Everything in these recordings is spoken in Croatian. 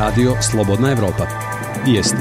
Radio Slobodna Evropa. Vijesti.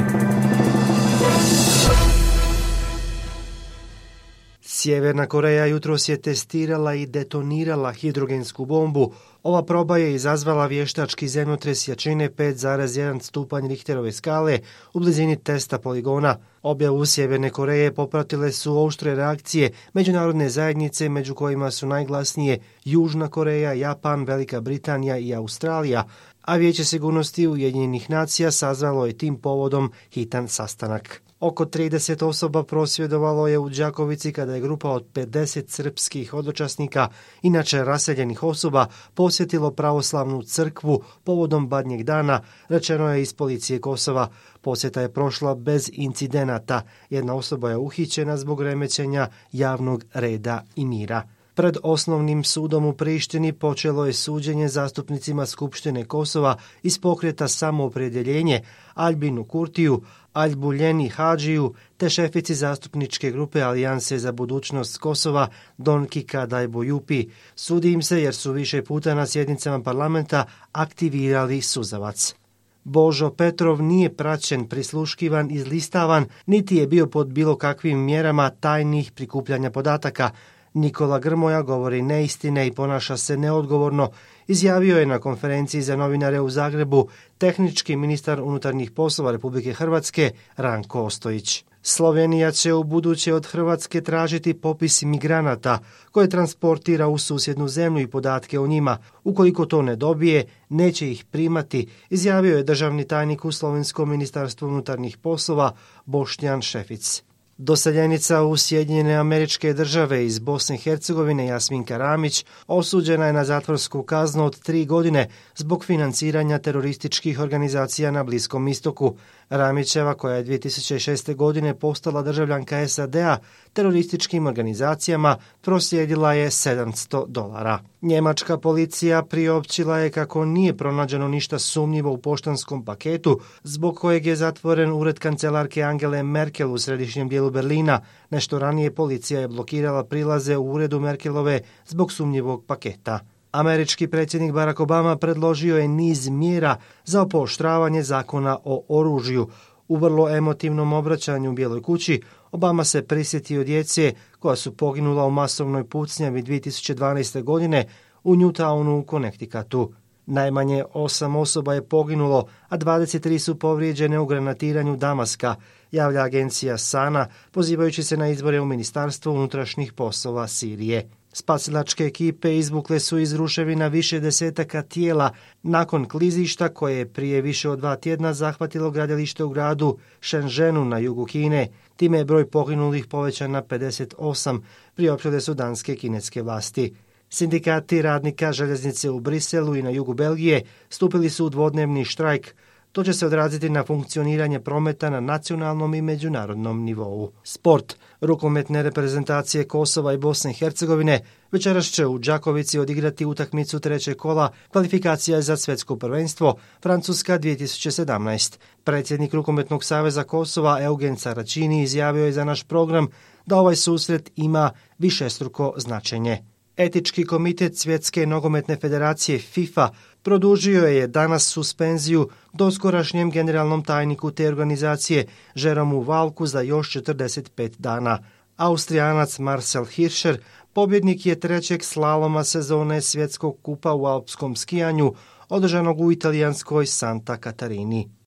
Sjeverna Koreja jutros je testirala i detonirala hidrogensku bombu. Ova proba je izazvala vještački zemljotres jačine 5,1 stupanj Richterove skale u blizini testa poligona. Objavu Sjeverne Koreje popratile su oštre reakcije međunarodne zajednice, među kojima su najglasnije Južna Koreja, Japan, Velika Britanija i Australija, a Vijeće sigurnosti Ujedinjenih nacija sazvalo je tim povodom hitan sastanak. Oko 30 osoba prosvjedovalo je u Đakovici kada je grupa od 50 srpskih hodočasnika, inače raseljenih osoba, posjetilo pravoslavnu crkvu povodom Badnjeg dana, rečeno je iz policije Kosova. Posjeta je prošla bez incidenata. Jedna osoba je uhićena zbog remećenja javnog reda i mira. Pred osnovnim sudom u Prištini počelo je suđenje zastupnicima Skupštine Kosova iz pokreta Samoopredjeljenje, Albinu Kurtiju, Albuljeni Hadžiju te šefici zastupničke grupe Alijanse za budućnost Kosova Donki Kadajbojupi. Sudi im se jer su više puta na sjednicama parlamenta aktivirali suzavac. Božo Petrov nije praćen, prisluškivan, izlistavan, niti je bio pod bilo kakvim mjerama tajnih prikupljanja podataka. Nikola Grmoja govori neistine i ponaša se neodgovorno, izjavio je na konferenciji za novinare u Zagrebu tehnički ministar unutarnjih poslova Republike Hrvatske Ranko Ostojić. Slovenija će u buduće od Hrvatske tražiti popis migranata koje transportira u susjednu zemlju i podatke o njima. Ukoliko to ne dobije, neće ih primati, izjavio je državni tajnik u Slovenskom ministarstvu unutarnjih poslova Boštjan Šefic. Doseljenica u Sjedinjene Američke Države iz Bosne i Hercegovine Jasminka Ramić osuđena je na zatvorsku kaznu od 3 godine zbog financiranja terorističkih organizacija na Bliskom istoku. Ramićeva, koja je 2006. godine postala državljanka SAD-a, terorističkim organizacijama proslijedila je $700. Njemačka policija priopćila je kako nije pronađeno ništa sumnjivo u poštanskom paketu zbog kojeg je zatvoren ured kancelarke Angele Merkel u središnjem dijelu Berlina. Nešto ranije policija je blokirala prilaze u uredu Merkelove zbog sumnjivog paketa. Američki predsjednik Barack Obama predložio je niz mjera za pooštravanje zakona o oružju. U vrlo emotivnom obraćanju u Bijeloj kući Obama se prisjetio djece koja su poginula u masovnoj pucnjavi 2012. godine u Newtownu u Connecticutu. Najmanje 8 osoba je poginulo, a 23 su povrijeđene u granatiranju Damaska, javlja agencija SANA, pozivajući se na izbore u Ministarstvu unutrašnjih poslova Sirije. Spasilačke ekipe izvukle su iz ruševina više desetaka tijela nakon klizišta koje je prije više od 2 tjedna zahvatilo gradilište u gradu Shenzhenu na jugu Kine. Time je broj poginulih povećan na 58, priopćile su danske i kineske vlasti. Sindikati radnika željeznice u Briselu i na jugu Belgije stupili su u dvodnevni štrajk. To će se odraziti na funkcioniranje prometa na nacionalnom i međunarodnom nivou. Sport. Rukometne reprezentacije Kosova i Bosne i Hercegovine večeras će u Đakovici odigrati utakmicu 3. kola kvalifikacija za svjetsko prvenstvo Francuska 2017. Predsjednik Rukometnog saveza Kosova Eugen Saračini izjavio je za naš program da ovaj susret ima višestruko značenje. Etički komitet Svjetske nogometne federacije FIFA produžio je danas suspenziju doskorašnjem generalnom tajniku te organizacije Jeromu Valku za još 45 dana. Austrijanac Marcel Hirscher pobjednik je 3. slaloma sezone Svjetskog kupa u alpskom skijanju održanog u italijanskoj Santa Katarini.